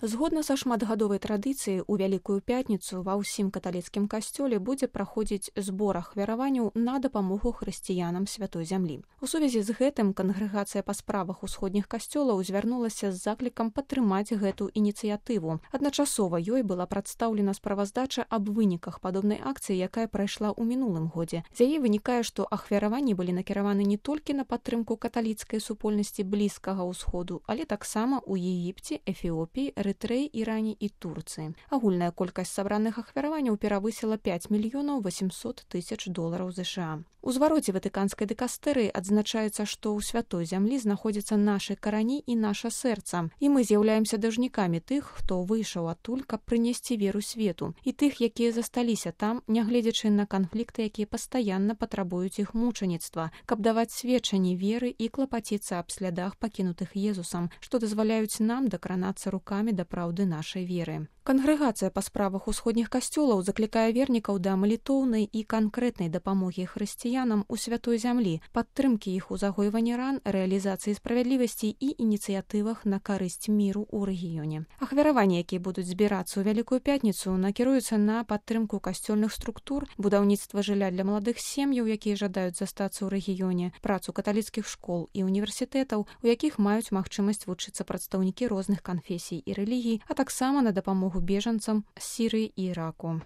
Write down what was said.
Згодна са шматгадовай традыцыяй, у Вялікую пятніцу ва ўсім каталіцкім касцёле будзе праходзіць збор ахвяраванняў на дапамогу хрысціянам святой зямлі. У сувязі з гэтым кангрэгацыя па справах усходніх касцёлаў звярнулася з заклікам падтрымаць гэту ініцыятыву. Адначасова ёй была прадстаўлена справаздача аб выніках падобнай акцыі, якая прайшла ў мінулым годзе. З яе вынікае, што ахвяраванні былі накіраваны не толькі на падтрымку каталіцкай супольнасці Блізкага ўсходу, але таксама ў Егіпце, Эфіопіі, Эрытрэі, Іране і Турцыі. Агульная колькасць сабраных ахвяраванняў перавысіла 5 мільёнаў 800 тысяч долараў США. У звароце ватыканскай дыкастэрыі адзначаецца, што ў святой зямлі знаходзяцца нашы карані і наша сэрца, і мы з'яўляемся дажнікамі тых, хто выйшаў адтуль, каб прынесці веру свету, і тых, якія засталіся там, нягледзячы на канфлікты, якія пастаянна патрабуюць іх мучаніцтва, каб даваць сведчанні веры і клапаціцца аб слядах пакінутых Езусам, што дазваляюць нам дакранацца рукамі да праўды нашай веры. Кангрэгацыя па справах усходніх касцёлаў заклікае вернікаў да малітоўнай і канкрэтнай дапамогі хрысціянам у святой зямлі, падтрымкі іх у загойванні ран, рэалізацыі справядлівасці і ініцыятывах на карысць міру ў рэгіёне. Ахвяраванні, якія будуць збірацца ў Вялікую пятніцу, накіруюцца на падтрымку касцёльных структур, будаўніцтва жылля для маладых сем'яў, якія жадаюць застацца ў рэгіёне, працу каталіцкіх школ і універсітэтаў, у якіх маюць магчымасць вучыцца прадстаўнікі розных канфесій і рэлігій, а таксама на дапамогу бежанцам з Сірыі і Іраку.